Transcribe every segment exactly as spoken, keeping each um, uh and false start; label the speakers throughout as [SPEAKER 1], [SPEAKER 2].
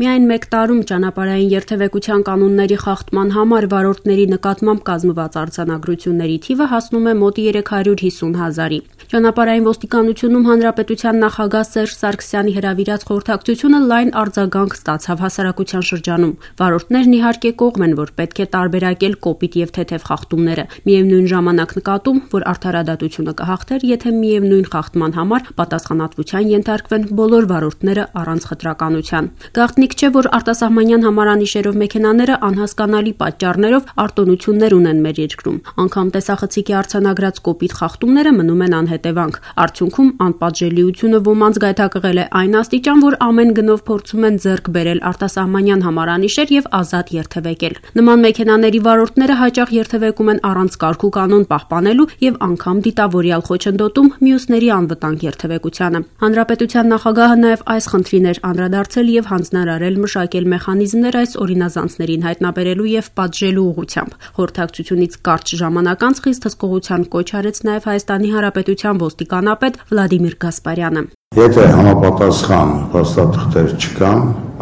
[SPEAKER 1] Միայն մեկ տարում ճանապարհային երթևեկության կանոնների խախտման համար վարորդների նկատմամբ կազմված արձանագրությունների թիվը հասնում է մոտ երեք հարյուր հիսուն հազարի։ Ճանապարհային ոստիկանությունում հանրապետության նախագահ Սերժ Սարգսյանի հրավիրած խորհրդակցությունը լայն արձագանք ստացավ հասարակության շրջանում։ Վարորդներն իհարկե կողմ են, որ պետք է տարբերակել կոպիտ եւ թեթև խախտումները։ Միևնույն ժամանակ նկատում, որ արդարադատությունը կհաղթեր, եթե միևնույն խախտման համար պատասխանատվության ենթարկվեն բոլոր վարորդները առանց խտրականության։ Գաղտնիք չէ, որ արտասահմանյան համարանիշերով մեքենաները անհասկանալի պատճառներով արտոնություններ ունեն մեր երկրում։ Անգամ տեսախցիկի արձանագրած կոպիտ խախտումները մնում են անհետևանք։ Արդյունքում անպատժելիությունը ոմանց գայթակղել է այն աստիճան, որ ամեն գնով փորձում են ձեռք բերել արտասահմանյան համարանիշեր եւ ազատ երթևեկել։ Նման մեքենաների վարորդները հաճախ երթևեկում են առանց կարգ ու կանոն պահպանելու եւ անգամ դիտավորյալ խոչընդոտում մյուսների անվտանգ երթևեկությանը։ Հանրապետության նախագահը նաեւ այս խնդրին էր անդրադարձել եւ հանձնարարել մշակել մեխանիզմներ այս օրինազանցներին հայտնաբերելու եւ պատժելու ուղղությամբ։ Խորհրդակցությունից կարճ ժամանակ անց խիստ հսկողության կոչ արեց նաեւ Հայաստանի Հանրապետության ոստիկանապետ Վլադիմիր Գասպարյանը։
[SPEAKER 2] Եթե համապատասխան փաստաթղթեր չկան,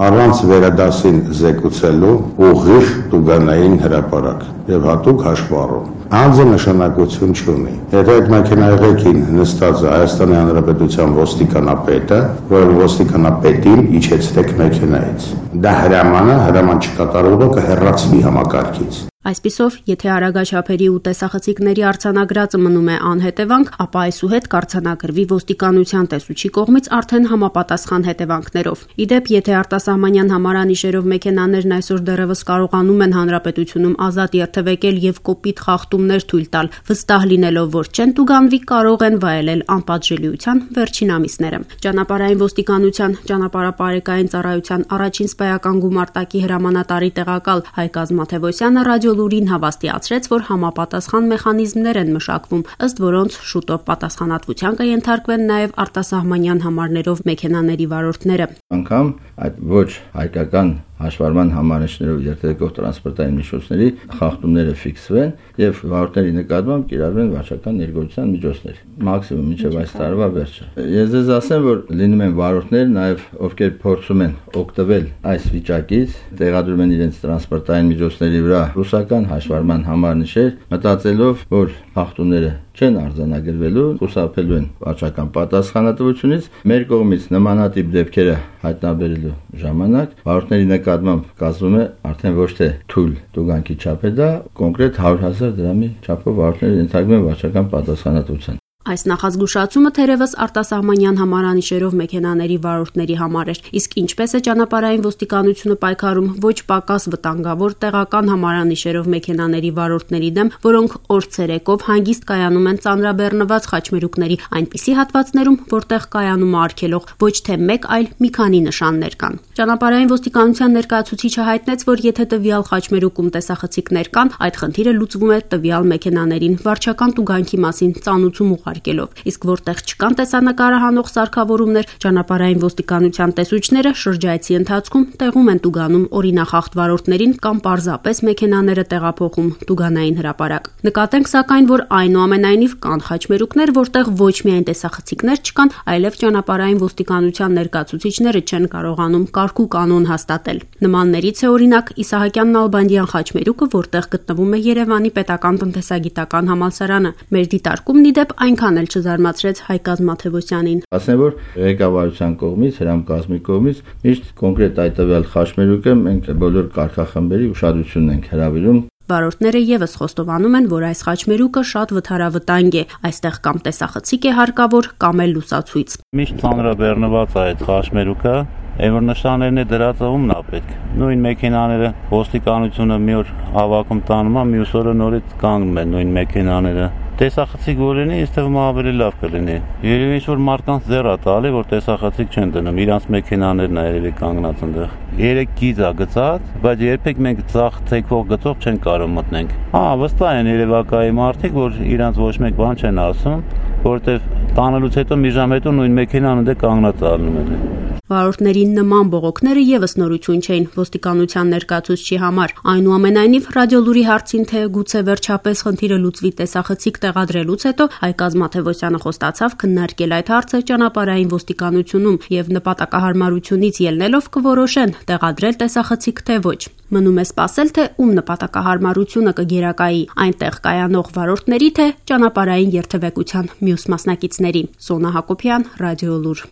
[SPEAKER 2] առանց վերադասին զեկուցելու ուղիղ տուգանային հրապարակ եւ հատուկ հաշվառում անձը նշանակություն չունի։ Եթե այդ մեքենայղեկին նստած է Հայաստանի Հանրապետության ոստիկանապետը, որ ոստիկանապետին իջեցրեք մեքենայից, դա հրաման է, հրաման չկատարողը կհեռացվի համակարգից։
[SPEAKER 1] Այսպիսով, եթե արագաչափերի ու տեսախցիկների արձանագրածը մնում է անհետևանք, ապա այսուհետ կարձանագրվի ոստիկանության տեսուչի կողմից արդեն համապատասխան հետևանքներով։ Իդեպ, եթե արտասահմանյան համարանիշերով մեքենաներն այսօր դեռևս կարողանում են հանրապետությունում ազատ երթևեկել եւ կոպիտ խախտումներ թույլ տալ, վստահ լինելով, որ չեն տուգանվի, կարող են վայելել անպատժելիության վերջին ամիսները։ Ճանապարհային ոստիկանության ճանապարհապարեկային ծառայության առաջին սպայական գումարտակի հրամանատարի տեղակալ Հայկ Ազմաթևոսյանը ռադիո լուրին հավաստիացրեց, որ համապատասխան մեխանիզմներ են մշակվում, ըստ որոնց շուտով պատասխանատվության կենթարկվեն նաև արտասահմանյան համարներով մեքենաների վարորդները։
[SPEAKER 3] Անգամ այդ ոչ հայկական հաշվառման համարանիշներով երթևեկող տրանսպորտային միջոցների խախտումները ֆիքսվեն եւ վարորդների նկատմամբ կիրառվեն վարչական ներգործության միջոցներ, մաքսիմում մինչեւ այս տարվա վերջը։ Ես ձեզ ասեմ, որ լինում են վարորդներ նաեւ ովքեր փորձում են օգտվել այս վիճակից, տեղադրում են իրենց տրանսպորտային միջոցների վրա ռուսական հաշվառման համարանիշեր, մտածելով, որ խախտումները չեն արձանագրվելու, խուսափելու են վարչական պատասխանատվությունից։ Մեր կողմից նմանատիպ դեպքերը հայտնաբերելու ժամանակ վարորդների նկատմամբ կազմում է արդեն ոչ թե թույլ տուգանքի չափ է դա, կոնկրետ հարյուր հազար դրամի չափով վարորդները ենթարկվում են վարչական պատասխանատվության։
[SPEAKER 1] Այս նախազգուշացումը թերևս արտասահմանյան համարանիշերով մեքենաների վարորդների համար էր, իսկ ինչպես է ճանապարհային ոստիկանությունը պայքարում ոչ պակաս վտանգավոր տեղական համարանիշերով մեքենաների վարորդների դեմ, որոնք օր-ցերեկով հանգիստ կայանում են ծանրաբեռնված խաչմերուկների այնպիսի հատվածներում, որտեղ կայանում է արգելող ոչ թե մեկ, այլ մի քանի նշաններ կան։ Ճանապարհային ոստիկանության ներկայացուցիչը հայտնեց, որ եթե տվյալ խաչմերուկում տեսախցիկներ կան, այդ խնդիրը լուծվում է տվյալ մեքենաներին վարչական տուգանքի մասին ծանուցում արկելով, իսկ որտեղ չկան տեսանկարահանող սարքավորումներ, ճանապարհային ոստիկանության տեսուչները շրջայցի ընթացքում տեղում են տուգանում օրինախախտ վարորդներին կամ պարզապես մեքենաները տեղափոխում տուգանային հրապարակ։ Նկատենք սակայն, որ այնուամենայնիվ կան խաչմերուկներ, որտեղ ոչ միայն տեսախցիկներ չկան, այլև ճանապարհային ոստիկանության ներկայացուցիչները չեն կարողանում կարգ ու կանոն հաստատել։ Նմաններից է օրինակ Իսահակյան Նալբանդյան խաչմերուկը, որտեղ գտնվում է Երևանի պետական տնտեսագիտական համալսարանը։ Մեր դիտարկումն ի դեպ այնքան էլ չզարմացրեց Հայկ Ազմաթևոսյանին։
[SPEAKER 3] Ասեմ, որ ղեկավարության կողմից, հրամկազմի կողմից միշտ կոնկրետ այդ տվյալ խաչմերուկը մենք բոլոր կարգախմբերի ուշադրությունն ենք հրավիրում։
[SPEAKER 1] Վարորդները եւս խոստովանում են, որ այս խաչմերուկը շատ վթարավտանգ է, այստեղ կամ տեսախցիկ է հարկավոր, կամ էլ լուսացույց։
[SPEAKER 4] Միշտ ծանրաբեռնված է այդ խաչմերուկը, այն որ նշաններն է դրած ումն է պետք։ Նույն մեքենաները ոստիկանությունը մի օր հավաքում տանում է, մյուս օրը նորից կանգնում են նույն մեքենաները։ Տեսախցիկ որ լինի, այստեղ ավելի լավ կլինի։ Երևի ինչ որ մարդկանց ձեռ է տալի, որ տեսախցիկ չեն դնում, իրանց մեքենաներն է երևի կանգնած այնտեղ։ Երեք գիծ է գծած, բայց երբեք մենք ցախ թեքվող գծով չեն կարող մտնենք։ Հա, վստահ են երևակայի մարդիկ, որ իրանց ոչ մեկ բան չեն ասում, որտեղ տանելուց հետո մի ժամ հետո նույն մեքենան ընդ կանգնած ալնում են։
[SPEAKER 1] Վարորդների նման բողոքները եւս նորություն չէին ոստիկանության ներկայացուցչի համար։ Այնուամենայնիվ ռադիոլուրի հարցին, թե գուցե վերջապես խնդիրը լուծվի տեսախցիկ տեղադրելուց հետո, Հայկ Ազմաթևոսյանը խոստացավ քննարկել այդ հարցը ճանապարհային ոստիկանությունում եւ նպատակահարմարությունից ելնելով կորոշեն տեղադրել տեսախցիկ թե ոչ։ Մնում է սպասել, թե ում նպատակահարմարությունը կգերակայի՝ այնտեղ կայանող վարորդների, թե ճանապարհային երթևեկության մյուս մասնակիցների։ Սոնա Հակոբյան, Ռադիոլուր։